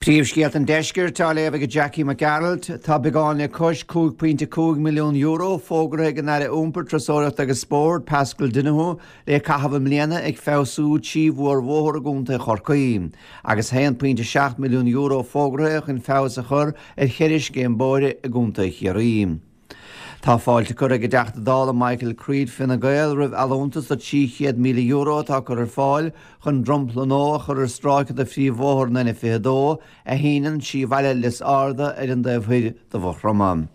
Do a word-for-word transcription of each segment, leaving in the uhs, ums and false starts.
Príomhscéalta an Deiscirt á léamh ag Jackie McGarrett, tá beagán le cois cúig pointe cúig milliún euro fógartha ag an Aire Iompair, Turasóireachta agus Spóirt, Paschal Donohoe, le caitheamh i mbliana ag feabhsú trí mhórbhóthar i gContae Chorcaí, agus haon pointe seacht milliún euro fógartha chun feabhas a chur ar cheithre scéim bóithre i gContae Chiarraí. Tá fáilte curtha ag an dTeachta Dála Michael Creed Fine Gael roimh allúntas de trí chéad míle euro atá curtha ar fáil chun dromchla nua a chur ar stráice de phríomhbhóthar an N fiche dó a shíneann trí bhaile Lios Arda ar an dtaobh thoir de Mhaigh Chromtha.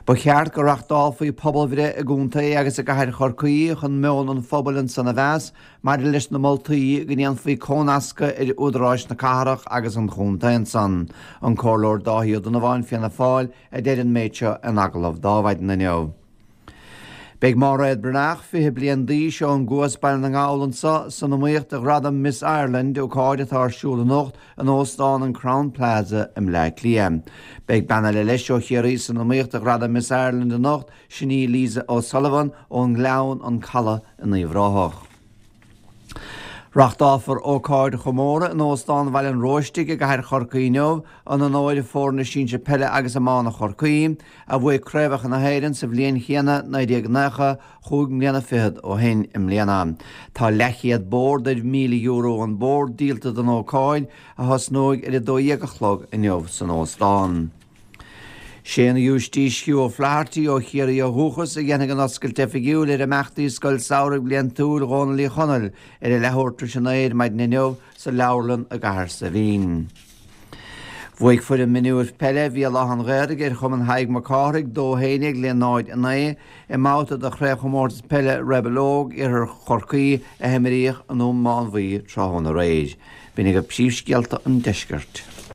Ba cheart go reáchtálfaí pobalbhreith i gcontae agus i gcathair Chorcaí chun meon an phobail ansan a mheas maidir leis na moltaí go ndéanfaí cónascadh ar údaráis na cathrach agus an chontae ansan. An Comhairleoir Dáithí Ó Donnabháin Fianna Fáil a deir an méid seo in agallamh dá mhaidin inniu. Beidh Máiréad Breathnach, fiche bliain d'aois ón gCuas Baile na nGall anseo san iomaíocht do ghradam Miss Ireland, ócáid atá ar siúl anocht in Óstán an Crowne Plaza i mBleá Cliath. Beidh bean eile leis ó Chiarraí san iomaíocht do ghradam Miss Ireland anocht, sin í Lisa O'Sullivan ón nGleann an Caladh in Uíbh Ráthach. Reáchtálfar ócáid chomórtha in Óstán Bhaile an Róistigh i gcathair Chorcaí inniu in onóir foirne sinsir peile agus iomána Chorcaí, a bhuaigh Craobhacha na hÉireann sa bhliain chéanna naoi déag nócha, chúig mbliana fichead ó shin i mbliana. Tá leathchéad bord ar mhíle euro an bord díolta don ócáid, a thosnóidh ar a dó dhéag a chlog inniu san óstán. Sé an Giúistís Hugh O'Flaherty ó Chiarraí ó dhúchas a dhéanfaidh an oscailt oifigiúil ar imeachtaí Scoil Samhraidh Bhliantúil Dhónaill Uí Chonaill ar a leathuair tar éis a naoi ar maidin inniu sa leabharlann i gCathair Saidhbhín. Bhuaigh foireann mionúir peile Bhéal Átha an Ghaorthaidh ar Chumann Thaidhg Mac Cárthaigh dó haon déag le náid a naoi i mbabhta de chraobhchomórtas peile Rebel Óg Iarthar Chorcaí a himríodh i nDún Mánmhaí tráthnóna aréir. B'in agaibh príomhscéalta an deiscirt.